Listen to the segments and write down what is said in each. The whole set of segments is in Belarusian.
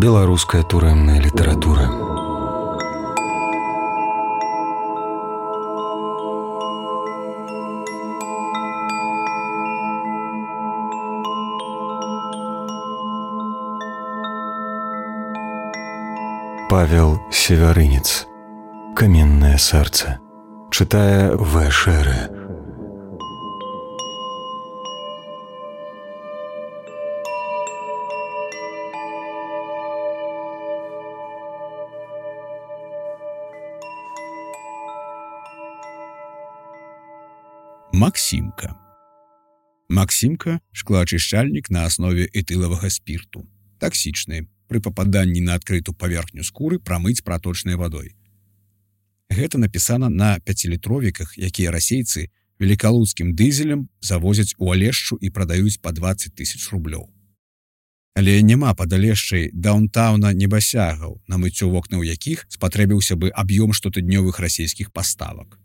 Беларуская турэмная літаратура. Павел Севярынец. «Каменное сердце». Читая В. Шере. Максимка. Максимка – шклоачышчальнік на аснове этылавага спірту. Таксічны. Пры пападанні на адкрытую паверхню скуры прамыць праточнай вадой. Гэта напісана на 5-літровіках, якія расейцы велікалуцкім дызелем завозяць у Алешчу і прадаюць па 20 000 рублёў. Але няма пад Алешчай даунтауна небасягаў, на мыццё вокнаў якіх спатрэбіўся бы аб'ём штотыднёвых расійскіх паставак.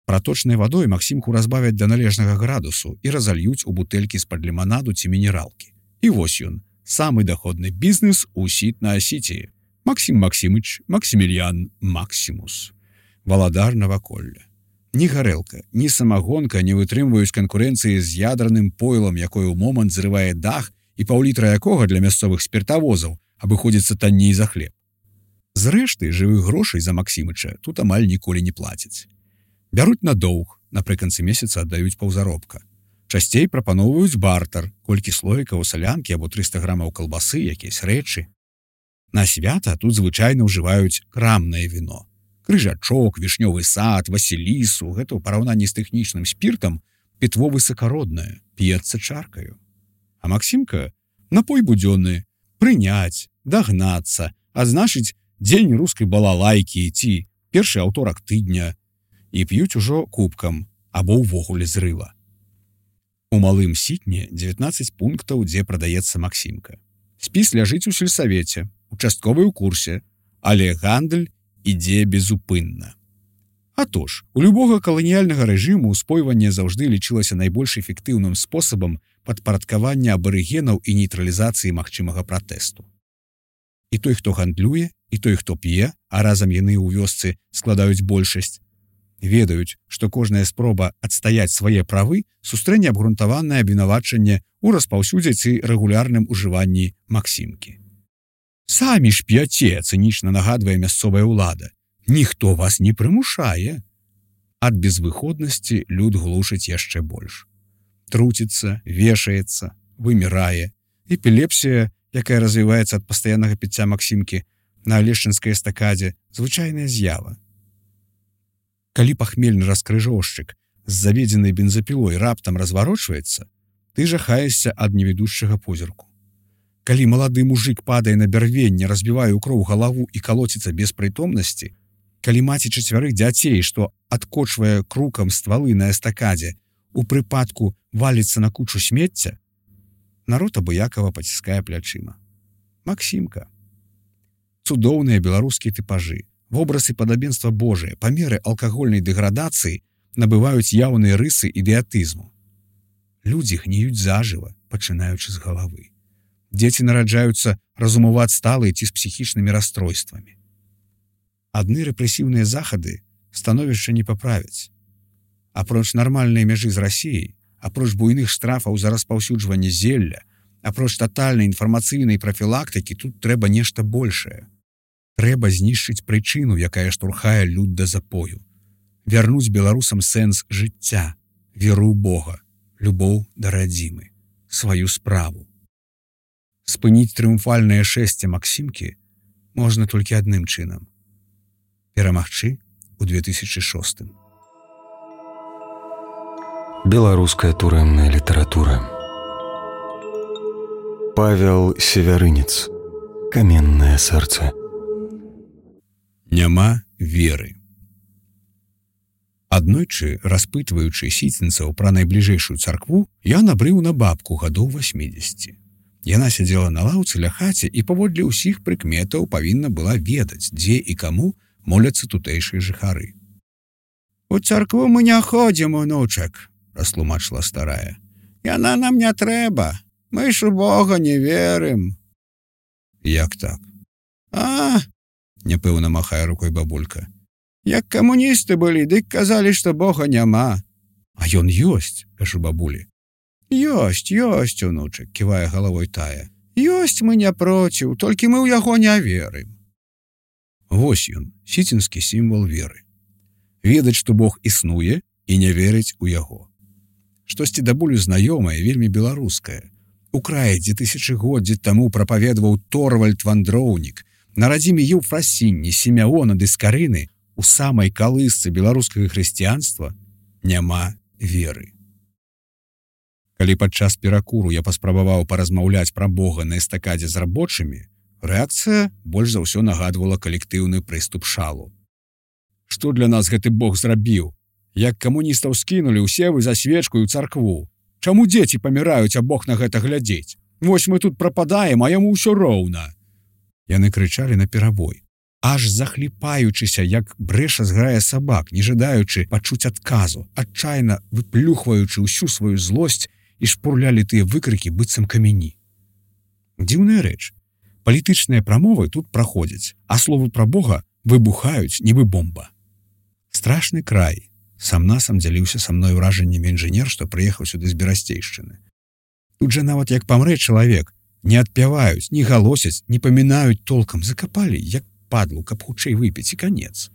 Праточнай вадой Максімку разбавяць да належнага градусу і разальюць у бутэлькі з-пад ліманаду ці мінералкі. І вось ён, самы доходны бізнес у Сітна-Асіці. Максім Максімыч, Максімільян, Максімус. Валадар наваколля. Ні гарэлка, ні самагонка не вытрымваюць канкурэнцыі з ядраным пойлам, якое ў момант зрывае дах і паўлітра якога для мясцовых спіртавозаў абыходзіцца танней за хлеб. Зрэшты, жывых грошай за Максімыча тут амаль ніколі не плацяць. Бяруць на доўг, напрыканцы месяца аддаюць паўзаробка. Часцей прапаноўваюць бартар, колькі слоікаў салянкі або 300 грамаў калбасы, якісь рэчы. На свята тут звычайна ўжываюць крамнае віно. Крыжачок, вішнёвы сад, васілісу, гэта ў параўнанні з тэхнічным спіртам пітво высакароднае, п'ецца чаркаю. А Максімка – напой будзённы, прыняць, дагнацца, адзначыць дзень рускай балалайкі ці першы аўторак тыдня і п'юць ужо кубкам або ўвогуле зрыла. У Малым Сітне 19 пунктаў, дзе прадаецца Максімка. Спіс ляжыць у сельсавеце, участковы ў курсе, але гандаль ідзе безупынна. Атож, у любога каланіяльнага рэжыму ўспойванне заўжды лічылася найбольш эфектыўным спосабам падпарадкавання абарыгенаў і нейтралізацыі магчымага пратэсту. І той, хто гандлюе, і той, хто п'е, а разам яны ў вёсцы складаюць большасць, ведаюць, што кожная спроба адстаяць свае правы сустрэне абгрунтаванае абвінавачанне ў распаўсюдзе ці рэгулярным ужыванні Максімкі. Самі ж п'яце, цынічна нагадвае мясцовая ўлада. Ніхто вас не прымушае. Ад безвыходнасці люд глушыць яшчэ больш. Труціцца, вешаецца, вымірае. Эпілепсія, якая развіваецца ад пастаяннага піцця Максімкі на алешчынскай эстакадзе, звычайная з'ява. Калі пахмельны раскрыжоўшчык з заведзенай бензапілой раптам разварочваецца, ты жахаешся ад невідушчага позірку. Калі малады мужык падае на бярвенне, разбівае ў кроў галаву і калоціцца без прытомнасці, калі маці 4 дзяцей, што адкочвае крукам ствалы на эстакадзе, у прыпадку валіцца на кучу смецця, народ абыякава паціскае плячыма. Максімка. Цудоўныя беларускія тыпажы, вобразы падабенства Божыя, памеры алкагольнай дэградацыі набываюць яўныя рысы ідыятызму. Людзі гніюць зажыва, пачынаючы з галавы. Дзеці нараджаюцца разумаваць сталыя ці з псіхічнымі расстройствамі. Адны рэпрэсіўныя захады становішча не паправяць. Апроч нармальнай мяжы з Расіяй, апроч буйных штрафаў за распаўсюджванне зелля, апроч татальнай інфармацыйнай прафілактыкі тут трэба нешта большае. Трэба знішчыць прычыну, якая штурхае люд да запою. Вярнуць беларусам сэнс жыцця, веру ў Бога, любоў да радзімы, сваю справу. Спыніць трыумфальнае шэсце Максімкі можна толькі адным чынам. Перамагчы ў 2006. Беларуская турэмная літаратура. Павел Севярынец. «Каменное сердце». Няма веры. Аднойчы, распытваючы сіцінцаў пра найбліжэйшую царкву, я набрыў на бабку гадоў 80. Яна сядзела на лаўцы ля хаце і паводле ўсіх прыкметаў павінна была ведаць, дзе і каму моляцца тутэйшыя жыхары. «У царкву мы не ходзім, унучак», – растлумачыла старая. «Яна нам не трэба, мы ж у Бога не верым». Як так? Няпэўна махае рукой бабулька. Як камуністы былі, дык казалі, што Бога няма. А ён ёсць, кажу бабулі. Ёсць, унучак, ківае галавой тая. Ёсць, мы не проціў, толькі мы ў яго не верым. Вось ён, сіцінскі сімвал веры. Ведаць, што Бог існуе і не верыць у яго. Штосьці да болю знаёмае, вельмі беларускае. У краі, дзе тысячагоддзі таму прапаведаваў Торвальд Вандроўнік, на радзіме Еўфрасінні, Сімеона ды Скарыны, у самай калысцы беларускага хрысціянства няма веры. Калі падчас перакуру я паспрабаваў паразмаўляць пра Бога на эстакадзе з рабочымі, рэакцыя больш за ўсё нагадвала калектыўны прыступ шалу. Што для нас гэты Бог зрабіў? Як камуністаў скінулі, усе вы за свечку і ў царкву. Чаму дзеці паміраюць, а Бог на гэта глядзець? Вось мы тут прападаем, а яму ўсё роўна. Яны крычалі наперабой, аж захліпаючыся, як брэша зграе сабак, не жадаючы пачуць адказу, адчайна выплюхваючы ўсю сваю злосць і шпурлялі тыя выкрыкі быццам камяні. Дзіўная рэч. Палітычныя прамовы тут праходзяць, а словы пра Бога выбухаюць, нібы бомба. Страшны край. Сам-насам дзяліўся са мной ўражаннямі інжынер, што прыехаў сюды з Берасцейшчыны. Тут жа нават як памрэ чалавек, не адпяваюць, не галосяць, не памінаюць толкам, закапалі, як падлу, каб хутчэй выпіць і канец.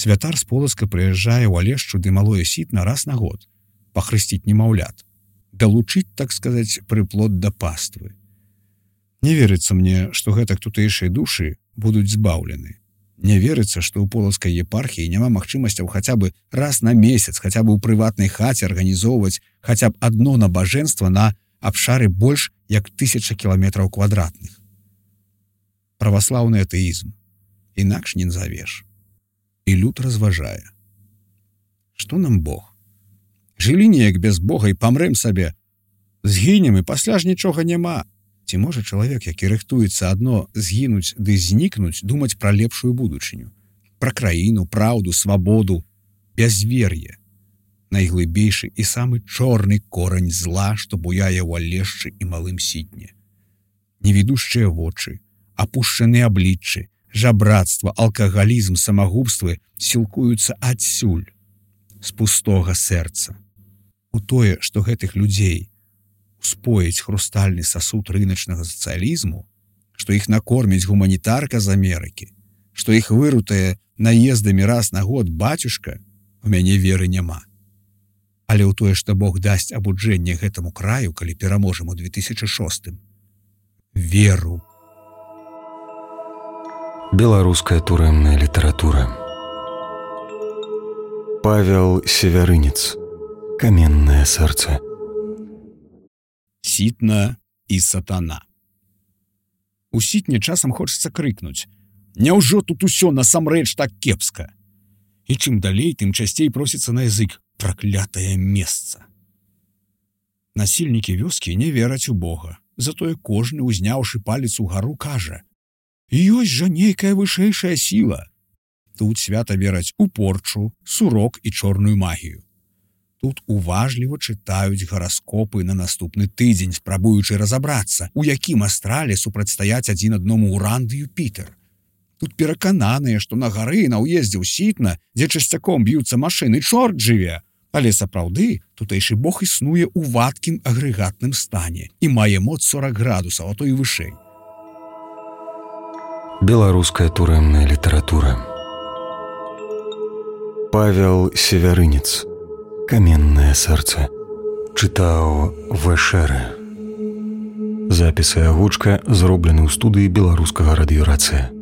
Святар з Полацка прыязджае ў Алешчу ды Малое Сітна раз на год, пахрысціць немаўлят, далучыць, так сказаць, прыплод да паствы. Не верыцца мне, што гэтак тутэйшыя душы будуць збаўлены. Не верыцца, што ў Полацкай епархіі няма магчымасцяў хаця бы раз на месяц, хаця бы ў прыватнай хаце арганізоўваць хаця б адно набажэнства на абшары больш як 1000 кіламетраў квадратных. Праваслаўны атэізм. Інакш не назавеш. І люд разважае. Што нам Бог? Жылі неяк без Бога і памрэм сабе. Згінем і пасля ж нічога няма. Ці можа чалавек, які рыхтуецца адно згінуць ды знікнуць, думаць пра лепшую будучыню? Пра краіну, праўду, свабоду, бязвер'е. Найглыбейшы і самы чорны корань зла, што буяе ў Алешчы і Малым Сітне. Невідушчыя вочы, апушчаныя абліччы, жабрацтва, алкагалізм, самагубствы сілкуюцца адсюль, з пустога сэрца. У тое, што гэтых людзей успоіць хрустальны сасуд рыначнага сацыялізму, што іх накорміць гуманітарка з Амерыкі, што іх вырутае наездамі раз на год бацюшка, у мяне веры няма. Але ў тое, што Бог дасць абуджэнне гэтаму краю, калі пераможам у 2006. Веру. Беларуская турэмная літаратура. Павел Севярынец. Каменнае сэрца. Сітна і сатана. У Сітне часам хочацца крыкнуць: «Няўжо тут усё насамрэч так кепска?» І чым далей, тым часцей просіцца на язык: «Праклятае месца». Насільнікі вёскі не вераць у Бога, затое кожны, узняўшы палец угару, кажа: «Ёсць жа нейкая вышэйшая сіла». Тут свята вераць у порчу, сурок і чорную магію. Тут уважліва чытаюць гараскопы на наступны тыдзень, спрабуючы разабрацца, у якім астрале супрацьстаяць адзін адному Уран ды Юпітер. Тут перакананыя, што на гары на ўездзе ў Сітна, дзе часцяком б'юцца машыны, чорт жыве. Але сапраўды тутэйшы Бог існуе ў вадкім агрэгатным стане і мае моц 40 градусаў, а то і вышэй. Беларуская турэмная літаратура. Павел Севярынец. Каменнае сэрца. Чытаў Вэшэры. Запіс і агучка зроблены ў студыі Беларускага радыёрацыя.